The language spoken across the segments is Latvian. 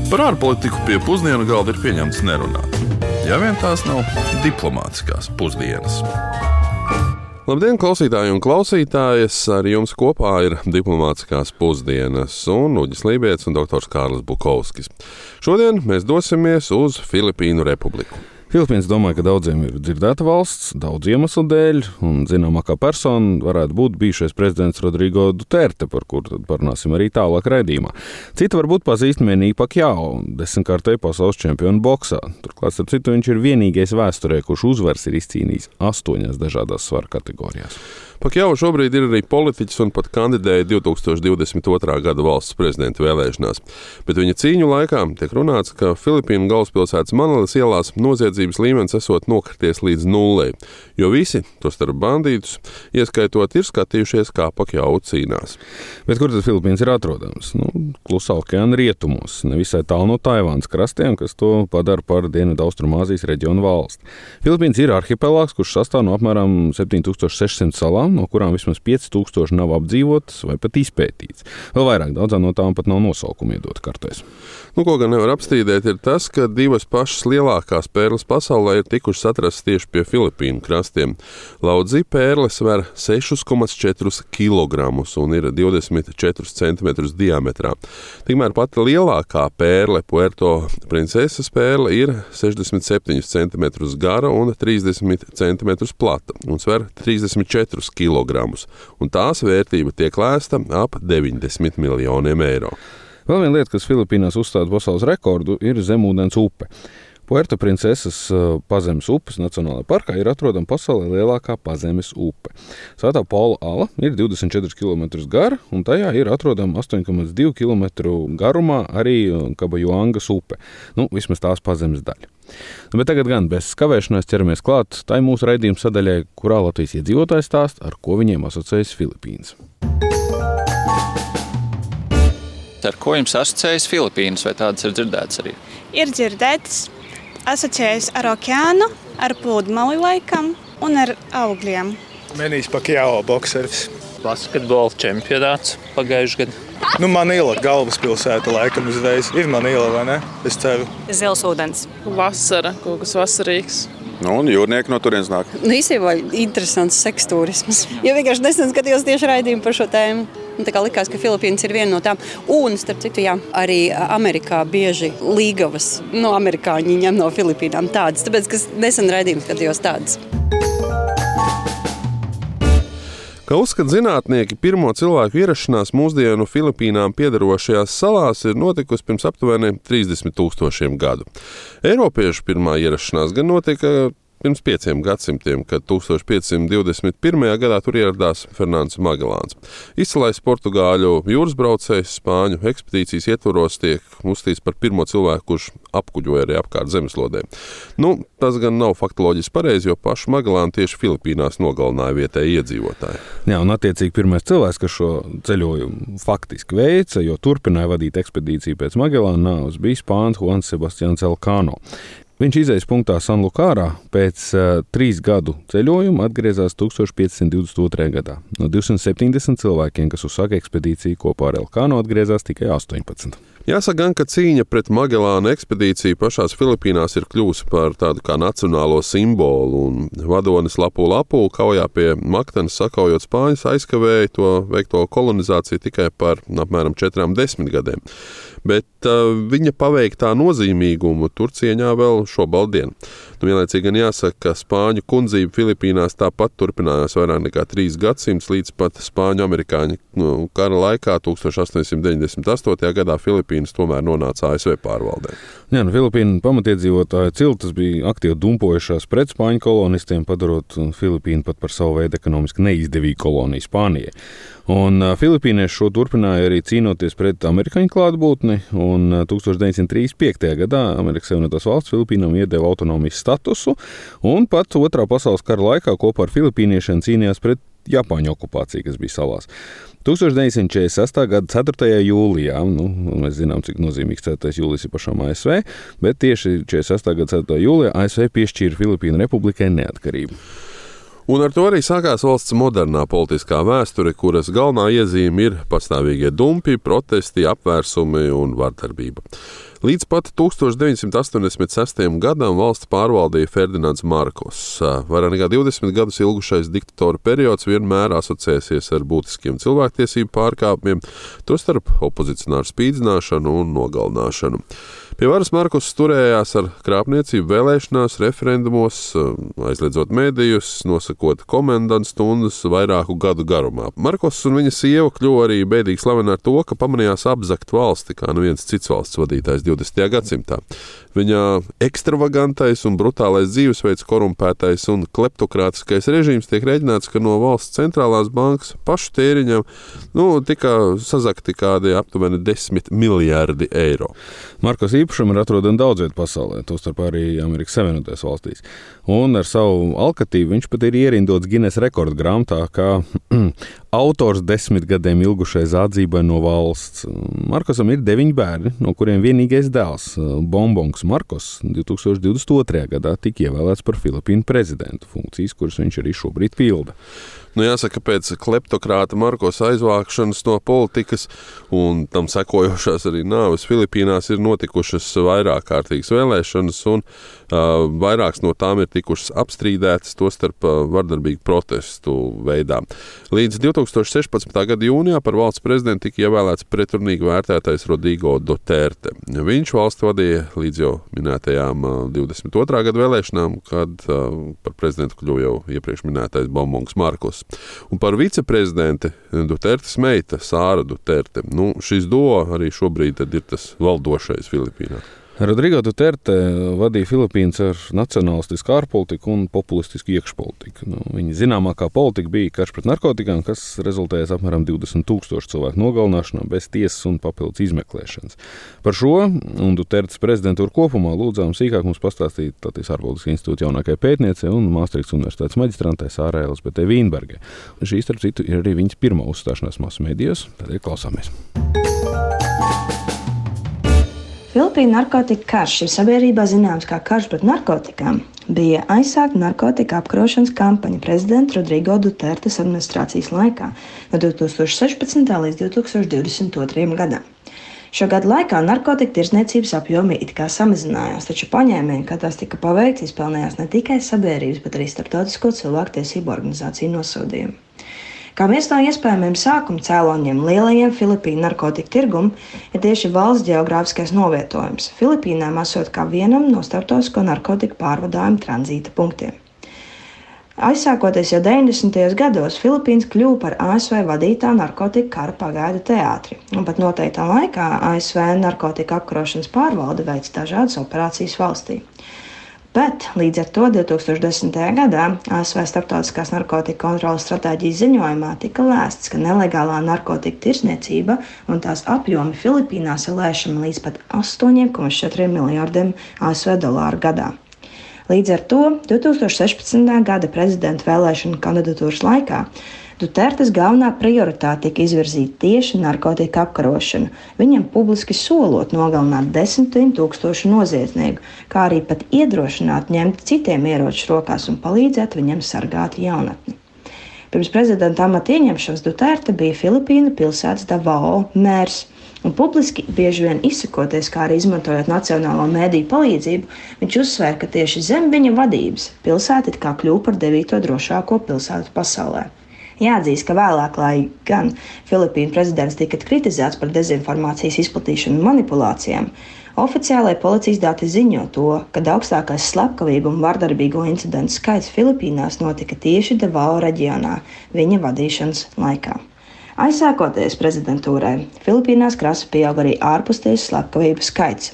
Par ārpolitiku pie pusdienu galda ir pieņemts nerunāt. Ja vien tās nav diplomātiskās pusdienas. Labdien, klausītāji un klausītājas! Ar jums kopā ir diplomātiskās pusdienas un Uģis Lībijams un doktors Kārlis Bukovskis. Šodien mēs dosimies uz Filipīnu Republiku. Filipīnas, domāju, ka daudziem ir dzirdēta valsts, daudz iemeslu dēļ, un zināmākā persona varētu būt bijušais prezidents Rodrigo Duterte, par kuru tad parunāsim arī tālāk raidījumā. Cita varbūt pazīst Manny Pacquiao, 10-kārtēju pasaules čempionu boksā. Turklāt, starp citu, viņš ir vienīgais vēsturē, kurš uzvaras ir izcīnījis 8 dažādās svaru kategorijās. Pacquiao šobrīd ir arī politiķis un pat kandidēja 2022. gada valsts prezidenta vēlēšanās. Bet viņa cīņu laikā tiek runāts, ka Filipīnu galvaspilsētas Manilas ielās noziedzības līmenis esot nokrities līdz nullei, jo visi, tostarp bandītus, ieskaitot, ir skatījušies, kā Pacquiao cīnās. Bet kur tad Filipīnas ir atrodams? Klusā okeāna rietumos, nevisai tālu no Taivānas krastiem, kas to padara par Dienvidaustrumāzijas reģionu valsti. Filipīnas ir arhipelāgs, kurš sastāv no apmēram 7600 salām, no kurām vismaz 5000 nav apdzīvotas vai pat izpētītas. Vēl vairāk, daudzām no tām pat nav nosaukumu iedot kartēs. Ko gan nevar apstrīdēt, ir tas, ka divas pašas lielākās pērles pasaulē ir tikušas atrastas tieši pie Filipīnu krastiem. Laudzī pērle sver 6,4 kg un ir 24 cm diametrā. Tikmēr pati lielākā pērle, Puerto Princesas pērle, ir 67 cm gara un 30 cm plata un sver 34 kg, un tās vērtība tiek lēsta ap 90 miljoniem eiro. Vēl viena lieta, kas Filipīnās uzstāda pasaules rekordu, ir zemūdens upe. Puerto Princesas pazemes upes Nacionālajā parkā ir atrodama pasaulē lielākā pazemes upe. Svētā Paula ala ir 24 km gara, un tajā ir atrodama 8,2 km garumā arī Kabajuangas upe. Vismaz tās pazemes daļa. Bet tagad gan bez kavēšanās ķeramies klāt tai mūsu raidījuma sadaļai, kurā Latvijas iedzīvotājs stāsta, ar ko viņiem asociējas Filipīnas. Ar ko jums asociējas Filipīnas, vai tādas ir dzirdētas arī? Ir dzirdētas, asociējas ar okeānu, ar pludmali laikam un ar augļiem. Manny Pacquiao bokseris. Basketbola čempionāts pagājušajā gadā. Manila, galvaspilsēta laikam uzreiz. Ir Manila, vai ne? Es ceru. Zils ūdens. Vasara, kaut kas vasarīgs. Un jūrnieki no turienes nāk. Īstenībā interesants seksturisms. Jo vienkārši nesen skatījos tieši raidījumu par šo tēmu. Tā kā likās, ka Filipīnas ir viena no tām. Un, starp citu, jā, arī Amerikā bieži līgavas amerikāņi ņem no Filipīnām tādas. Tāpēc, ka nesen raidījumu skatījos tādas. Kā uzskata zinātnieki, pirmo cilvēku ierašanās mūsdienu Filipīnām piederošajās salās ir notikusi pirms aptuveni 30 000 gadu. Eiropiešu pirmā ierašanās gan notika pirms 5 gadsimtiem, kad 1521. gadā tur ieradās Fernands Magellāns. Izcilais portugāļu jūras braucējs Spāņu ekspedīcijas ietvaros tiek uzskatīts par pirmo cilvēku, kurš apkuģoja arī apkārt zemeslodē. Tas gan nav faktoloģiski pareizi, jo pašu Magellānu tieši Filipīnās nogalināja vietēji iedzīvotāji. Jā, un attiecīgi pirmais cilvēks, kas šo ceļojumu faktiski veica, jo turpināja vadīt ekspedīciju pēc Magellāna nāves, bija spānis Juans Sebastians Elcano. Viņš izejas punktā Sanlukārā pēc 3 gadu ceļojuma atgriezās 1522. gadā. No 270 cilvēkiem, kas uzsāka ekspedīciju, kopā ar Elcano atgriezās tikai 18. Jāsaka gan, ka cīņa pret Magellāna ekspedīciju pašās Filipīnās ir kļuvusi par tādu kā nacionālo simbolu, un vadonis Lapu kaujā pie Maktenes sakaujot spāņus aizkavēja to veikto kolonizāciju tikai par apmēram 40 gadiem. Bet viņa paveiktā nozīmīgumu tur cieņā vēl šobaldien. Vienlaicīgi gan jāsaka, ka spāņu kundzība Filipīnās tāpat turpinājās vairāk nekā 3 gadsimtus līdz pat spāņu-amerikāņu kara laikā 1898. gadā Filipīnas tomēr nonāca ASV pārvaldē. Jā, Filipīnu pamatiedzīvotāju ciltis bija aktīvi dumpojušās pret spāņu kolonistiem, padarot Filipīnu pat par savu veidu ekonomiski neizdevīgu koloniju Spānijai. Un filipīnieši šo turpināja arī cīnoties pret amerikāņu klātbūtni, un 1935. gadā Amerikas Savienotās valsts Filipīnām iedeva autonomijas statusu, un pat Otrā pasaules kara laikā kopā ar filipīniešiem cīnījās pret Japāņu okupāciju, kas bija salās. 1946. gada 4. jūlijā, mēs zinām, cik nozīmīgs 4. jūlijas ir pašām ASV, bet tieši 46. gada 4. jūlijā ASV piešķīra Filipīnu republikai neatkarību. Un ar to arī sākās valsts modernā politiskā vēsture, kuras galvenā iezīme ir pastāvīgie dumpi, protesti, apvērsumi un vardarbība. Līdz pat 1986. gadam valsti pārvaldīja Ferdinands Markos. Vairāk nekā 20 gadus ilgušais diktatora periods vienmēr asociēsies ar būtiskiem cilvēktiesību pārkāpumiem, tostarp opozicionāru spīdzināšanu un nogalināšanu. Pie varas Markos turējās ar krāpniecību vēlēšanās, referendumos, aizliedzot medijus, nosakot komendantu stundas vairāku gadu garumā. Markos un viņa sieva kļuva arī bēdīgi slavena ar to, ka pamanījās apzakt valsti, kā neviens cits valsts vadītājs 20. gadsimtā. Viņa ekstravagantais un brutālais dzīvesveids, korumpētais un kleptokrātiskais režīms tiek rēķināts, ka no valsts centrālās bankas pašu tēriņam tika sazakti kādi aptuveni 10 miljardi eiro. Markos īpašumu ir atrodami daudz vietu pasaulē, tostarp arī Amerikas Savienotajās valstīs. Un ar savu alkatību viņš pat ir ierindots Guinness rekordu grāmatā kā autors 10 gadiem ilgušai zādzībai no valsts. Markosam ir 9 bērni, no kuriem vienīgais dēls, Bonbons Markos, 2022. gadā tika ievēlēts par Filipīnu prezidentu, funkcijas, kuras viņš arī šobrīd pilda. Jāsaka, pēc kleptokrāta Markos aizvākšanas no politikas un tam sekojošās arī nāves Filipīnās ir notikušas vairāk kārtīgas vēlēšanas, un vairākas no tām ir tikušas apstrīdētas, tostarp vardarbīgu protestu veidā. Līdz 2016. gada jūnijā par valsts prezidentu tika ievēlēts pretrunīgi vērtētais Rodrigo Duterte. Viņš valsti vadīja līdz jau minētajām 22. gada vēlēšanām, kad par prezidentu kļuva jau iepriekš minētais Bonbons Markos. Un par viceprezidenti Dutertes meita Sāra Duterte. Šis duo arī šobrīd ir tas valdošais Filipīnās. Rodrigo Duterte vadīja Filipīnas ar nacionālistisku ārpolitiku un populistisku iekšpolitiku. Viņa zināmākā politika bija karš pret narkotikām, kas rezultējas apmēram 20,000 cilvēku nogalināšanā bez tiesas un papildus izmeklēšanas. Par šo un Dutertes prezidentūru kopumā lūdzām sīkāk mums pastāstīt Latvijas ārpolitikas institūta jaunākajai pētniecei un Māstrihtas universitātes maģistrantai Sārai Elzbietai Vīnbergai. Šī, starp citu, ir arī viņas pirmā uzstāšanās masu medijos, tādēļ klausāmies. Filipīnu narkotika karš, ir sabiedrībā zināms kā karš pret narkotikām, bija aizsākta narkotika apkarošanas kampaņa prezidenta Rodrigo Dutertes administrācijas laikā no 2016. līdz 2022. gadam. Šo gadu laikā narkotika tirdzniecības apjomi it kā samazinājās, taču paņēmieni, kā tās tika paveikts, izpelnījās ne tikai sabiedrības, bet arī starptautisko cilvēktiesību organizāciju nosodījumu. Kā viens no iespējamiem sākuma cēloņiem lielajiem Filipīnu narkotiku tirgum ir tieši valsts ģeogrāfiskais novietojums. Filipīnām esot kā vienam no starptautisko narkotiku pārvadājumu tranzīta punktiem. Aizsākoties jau 90. gados, Filipīnas kļuva par ASV vadītā narkotiku kara pagaidu teātri, un pat noteiktā laikā ASV narkotika apkarošanas pārvalde veic dažādas operācijas valstī. Bet līdz ar to 2010. gadā ASV Starptautiskās narkotika kontroles stratēģijas ziņojumā tika lēsts, ka nelegālā narkotika tirdzniecība un tās apjomi Filipīnās ir lēšami līdz pat 8,4 miljardiem ASV dolāru gadā. Līdz ar to 2016. gada prezidenta vēlēšanu kandidatūras laikā Dutertes galvenā prioritāte tika izvirzīta tieši narkotika apkarošanu, viņam publiski solot nogalināt 10,000 noziedznieku, kā arī pat iedrošināt ņemt citiem ieročus rokās un palīdzēt viņam sargāt jaunatni. Pirms prezidenta amata ieņemšanas Duterte bija Filipīnu pilsētas Davao mērs, un publiski bieži vien izsakoties, kā arī izmantojot nacionālo mēdīju palīdzību, viņš uzsvēra, ka tieši zem viņa vadības pilsēta it kā kļuva par 9. drošāko pilsētu pasaulē. Jāatzīst, ka vēlāk, lai gan Filipīnu prezidents tika kritizēts par dezinformācijas izplatīšanu un manipulācijām, oficiālajie policijas dati ziņo to, ka augstākais slepkavību un vardarbīgo incidentu skaits Filipīnās notika tieši Davao reģionā viņa vadīšanas laikā. Aizsākoties prezidentūrai, Filipīnās krasi pieauga arī ārpustiesu slepkavību skaits,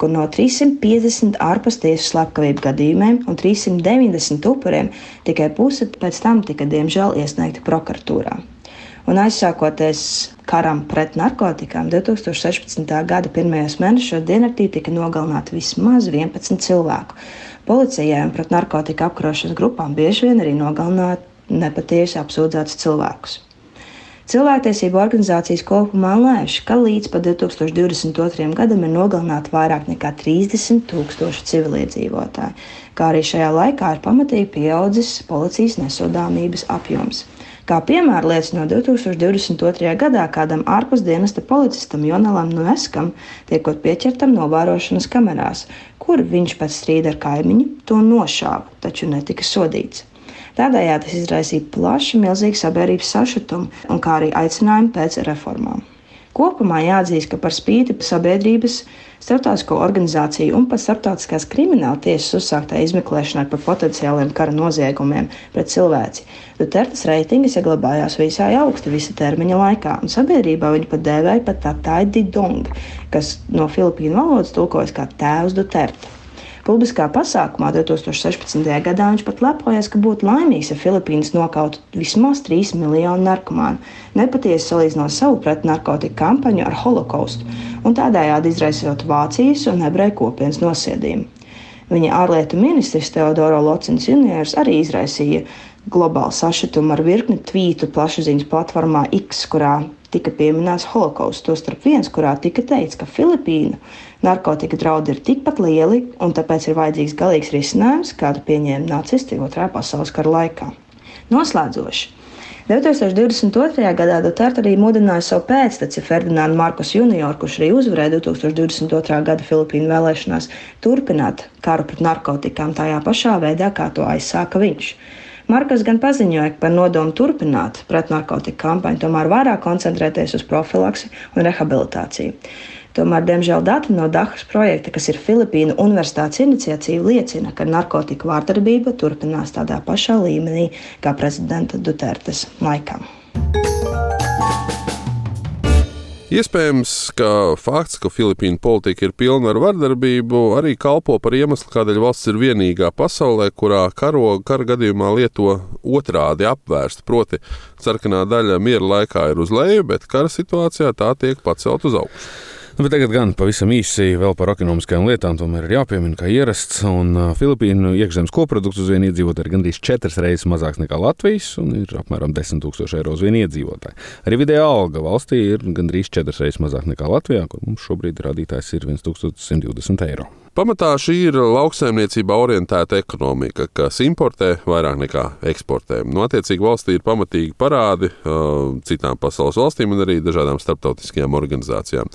kur no 350 ārpustiesu slepkavību gadījumiem un 390 upuriem tikai puse pēc tam tika diemžēl iesniegti prokuratūrā. Un aizsākoties karam pret narkotikām, 2016. gada pirmajos mēnešos diennaktī tika nogalināti vismaz 11 cilvēku. Policijai un pret narkotika apkarošanas grupām bieži vien arī nogalināti nepatiesi apsūdzētus cilvēkus. Cilvēktiesību organizācijas kopumā lēš, ka līdz pat 2022. gadam ir nogalināti vairāk nekā 30,000 civiliedzīvotāji, kā arī šajā laikā ir pamatīgi pieaudzis policijas nesodāmības apjoms. Kā piemēru liecina 2022. gadā kādam ārpusdienesta policistam Jonalam Nueskam tiekot pieķertam novērošanas kamerās, kur viņš pēc strīda ar kaimiņu to nošāva, taču netika sodīts. Tādējādi tas izraisīja plašu, milzīgu sabiedrības sašutumu un kā arī aicinājumu pēc reformām. Kopumā jāatzīst, ka par spīti sabiedrības, starptautisko organizāciju un pat starptautiskās krimināla tiesas uzsāktā izmeklēšanai par potenciāliem kara noziegumiem pret cilvēci, Dutertes reitingi saglabājās visai augsti visa termiņa laikā, un sabiedrībā viņu pat dēvēja par Tatai Didong, kas no Filipīnu valodas tulkojas kā tēvs Duterte. Publiskā pasākumā 2016. gadā viņš pat lepojas, ka būtu laimīgs, ja Filipīnas nokautu vismaz 3 miljonu narkomānu, nepatiesi salīdzinot savu pretnarkotiku kampaņu ar holokaustu un tādējādi izraisot Vācijas un ebreju kopienas nosiedījumu. Viņa ārlietu ministrs Teodoro Locins juniors arī izraisīja globālu sašutumu ar virkni tvītu plašsaziņas platformā X, kurā tika pieminēts holokausts, tostarp viens, kurā tika teikts, ka Filipīnu narkotika draudi ir tikpat lieli un tāpēc ir vajadzīgs galīgs risinājums, kādu pieņēma nacisti Otrā pasaules kara laikā. Noslēdzoši. 2022. gadā Duterte arī mudināja savu pēcteci Ferdinandu Markosu junioru, kurš arī uzvarēja 2022. gada Filipīnu vēlēšanās, turpināt karu pret narkotikām tajā pašā veidā, kā to aizsāka viņš. Markos gan paziņoja par nodomu turpināt pretnarkotiku kampaņu, tomēr vairāk koncentrēties uz profilaksi un rehabilitāciju. Tomēr, diemžēl, dati no Dahas projekta, kas ir Filipīnu universitātes iniciatīva, liecina, ka narkotiku vārdarbība turpinās tādā pašā līmenī kā prezidenta Dutertes laikā. Iespējams, ka fakts, ka Filipīnu politika ir pilna ar vardarbību, arī kalpo par iemeslu, kādēļ valsts ir vienīgā pasaulē, kurā karogu kara gadījumā lieto otrādi apvērstu, proti sarkanā daļa miera laikā ir uz leju, bet kara situācijā tā tiek pacelt uz augšu. Bet tagad gan pavisam īsi vēl par ekonomiskajām lietām, tomēr ir jāpiemina, kā ierasts, un Filipīnu iekšzemes koprodukts uz vienu iedzīvotāju ir gandrīz 4 reizes mazāks nekā Latvijas, un ir apmēram 10 000 eiro uz vienu iedzīvotāju. Arī vidējā alga valstī ir gandrīz 4 reizes mazāk nekā Latvijā, kur mums šobrīd rādītājs ir 1120 eiro. Pamatā šī ir lauksaimniecībā orientēta ekonomika, kas importē vairāk nekā eksportē. Attiecīgi valstī ir pamatīgi parādi citām pasaules valstīm un arī dažādām starptautiskajām organizācijām.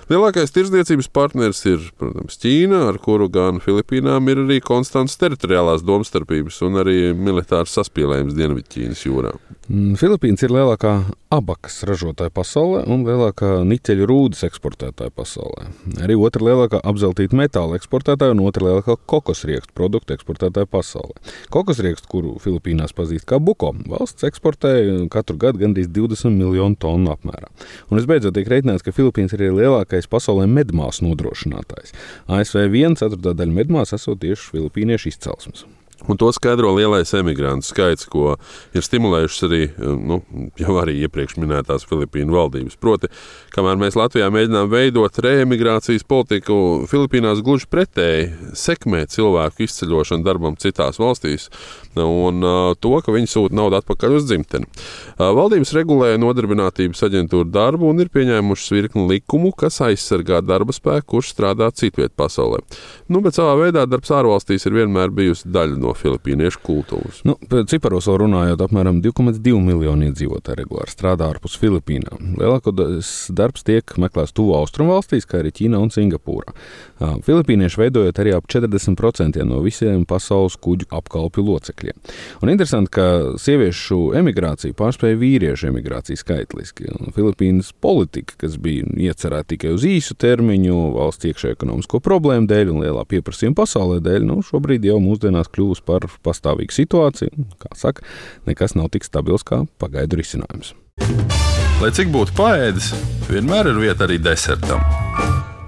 Lielākais tirdzniecības partners ir, protams, Ķīna, ar kuru gan Filipīnām ir arī konstants teritoriālās domstarpības un arī militārs saspīlējums Dienvidķīnas jūrā. Filipīnas ir lielākā abakas ražotāja pasaulē un lielākā niķeļu rūdas eksportētāja pasaulē. Arī otra lielākā apzeltīta metāla eksportētāja un otra lielākā kokosriekstu produktu eksportētāja pasaulē. Kokosriekstu, kuru Filipīnās pazīst kā buko, valsts eksportē katru gadu gandrīz 20 miljonu tonu apmērā. Un visbeidzot tiek reiķināts, ka Filipīnas ir lielākais pasaulē medmāsu nodrošinātājs. ASV 1/4 daļa medmāsu esot tieši filipīniešu izcelsmes. Un to skaidro lielais emigrantu skaits, ko ir stimulējušas arī, jau arī iepriekš minētās Filipīnu valdības. Proti, kamēr mēs Latvijā mēģinām veidot reemigrācijas politiku, Filipīnās gluži pretēji sekmē cilvēku izceļošanu darbam citās valstīs un to, ka viņi sūta naudu atpakaļ uz dzimteni. Valdības regulē nodarbinātības aģentūra darbu un ir pieņēmušas virkni likumu, kas aizsargā darba spēku, kurš strādā citviet pasaulē. Bet savā veidā darbs ārvalstīs ir vienmēr bijusi daļa no filipīniešu kultūras. Ciparos vēl runājot, apmēram 2,2 miljoni iedzīvotāji regulāri strādā ārpus Filipīnām. Lielākoties darbs tiek meklēts tuvu austrumu valstīs, kā arī Ķīnā un Singapūrā. Filipīnieši veidojot arī ap 40% no visiem pasaules kuģu apkalpju locekļiem. Un interesanti, ka sieviešu emigrācija pārspēja vīriešu emigrāciju skaitliski. Filipīnas politika, kas bija iecerēta tikai uz īsu termiņu, valsts iekšējo ekonomisko problēmu dēļ un lielā pieprasījuma pasaulē dēļ, šobrīd jau mūsdienās kļūst par pastāvīgu situāciju. Kā saka, nekas nav tik stabils kā pagaidu risinājums. Lai cik būtu paēdis, vienmēr ir vieta arī desertam.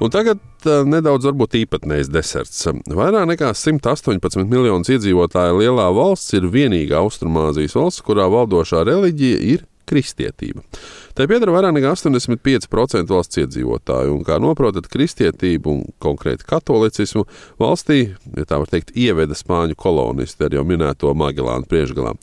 Un tagad nedaudz varbūt īpatnējs deserts. Vairāk nekā 118 miljonus iedzīvotāju lielā valsts ir vienīgā Austrumāzijas valsts, kurā valdošā reliģija ir kristietība. Tai pieder vairāk nekā 85% valsts iedzīvotāju, un kā noprotat, kristietību un konkrēti katolicismu valstī, ja tā var teikt, ieveda spāņu kolonisti ar jau minēto Magellānu priekšgalā.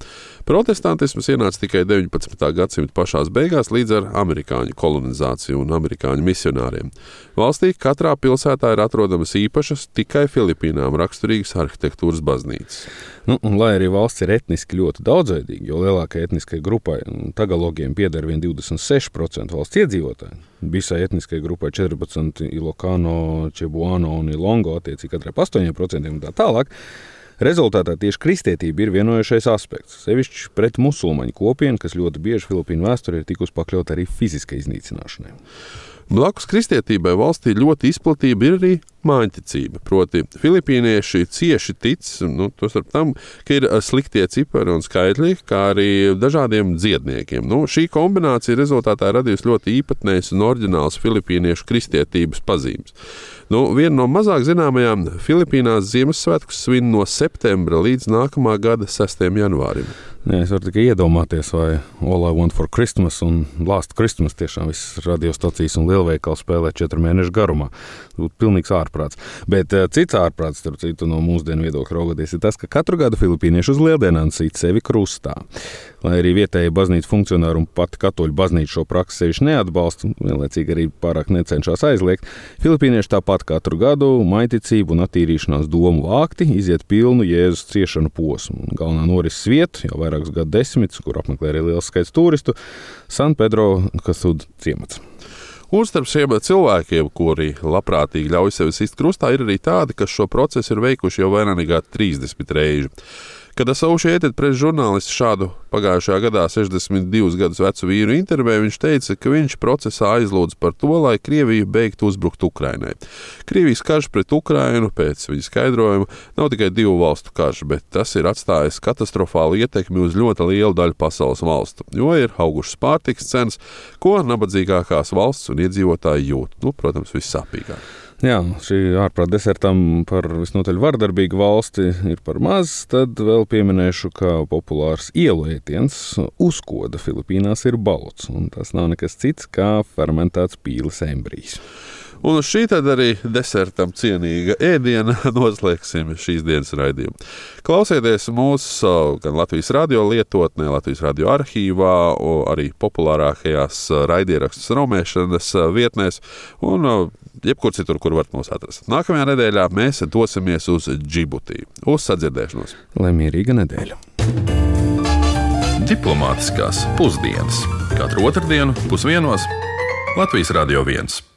Protestantisms ienāca tikai 19. gadsimta pašās beigās līdz ar amerikāņu kolonizāciju un amerikāņu misionāriem. Valstī katrā pilsētā ir atrodamas īpašas tikai Filipīnām raksturīgas arhitektūras baznīcas. Un lai arī valsts ir etniski ļoti daudzveidīga, jo lielākai etniskai grupai tagalogiem pieder vien 26% valsts iedzīvotāji, visai etniskai grupai 14 Ilocano, Cebuano un Ilongo, attiecīgi katrai 8% un tā tālāk. Rezultātā tieši kristietība ir vienojušais aspekts, sevišķi pret musulmaņu kopienu, kas ļoti bieži Filipīnu vēsturē ir tikusi pakļaut arī fiziskai iznīcināšanai. Blakus kristietībai valstī ļoti izplatība ir arī māņticība, proti filipīnieši cieši tic, tostarp tam, ka ir sliktie cipari un skaitļi, kā arī dažādiem dziedniekiem. Šī kombinācija rezultātā radījusi ļoti īpatnējas un oriģināls filipīniešu kristietības pazīmes. Viena no mazāk zināmajām Filipīnās Ziemassvētkus svin no septembra līdz nākamā gada 6. janvārim. Es varu tikai iedomāties, vai All I Want for Christmas un Last Christmas tiešām visas radiostacijas un lielveikali spēlē 4 mēnešu garumā. Būtu pilnīgs ārprāts. Bet cits ārprāts, starp citu, no mūsdienu viedokļa raugoties, ir tas, ka katru gadu filipīnieši uz lieldienām sit sevi krustā. Lai arī vietēji baznīca funkcionāri un pati katoļu baznīca šo praksi sevišķi neatbalsta, vienlaicīgi arī pārāk necenšas aizliegt, filipīnieši tāpat katru gadu maiticību un attīrīšanās domu vākti iziet pilnu Jēzus ciešanu posmu. Galvenā norises vieta, jau vairākus gadu desmitus, kur apmeklē arī liels skaits turistu, San Pedro Casud ciemats. Un starp šiem cilvēkiem, kuri labprātīgi ļauj sevi sist krustā, ir arī tādi, kas šo procesu ir veikuši jau vairāk nekā 30 reižu. Kad Associated Press žurnālists šādu pagājušajā gadā 62 gadus vecu vīru intervēju, viņš teica, ka viņš procesā aizlūdz par to, lai Krievija beigtu uzbrukt Ukrainai. Krievijas karš pret Ukrainu, pēc viņa skaidrojuma, nav tikai 2 valstu karš, bet tas ir atstājis katastrofālu ietekmi uz ļoti lielu daļu pasaules valstu, jo ir augušas pārtikas cenas, ko nabadzīgākās valsts un iedzīvotāji jūt. Protams, vissāpīgāk. Jā, šī ārprāt desertam par visnotaļ vardarbīgu valsti ir par maz, tad vēl pieminēšu, ka populārs ielu ēdiens uzkoda Filipīnās ir balots, un tas nav nekas cits kā fermentēts pīles embrijs. Un uz šī tad arī desertam cienīga ēdiena noslēgsim šīs dienas raidījumu. Klausieties mūsu gan Latvijas radio lietotnē, Latvijas radio arhīvā, arī populārākajās raidierakstu straumēšanas vietnēs un jebkur citur, kur varat mūs atrast. Nākamajā nedēļā mēs dosimies uz Džibutī. Uz sadzirdēšanos! Lai mierīga nedēļa! Diplomātiskās pusdienas. Katru otrdienu 12:00 Latvijas Radio 1.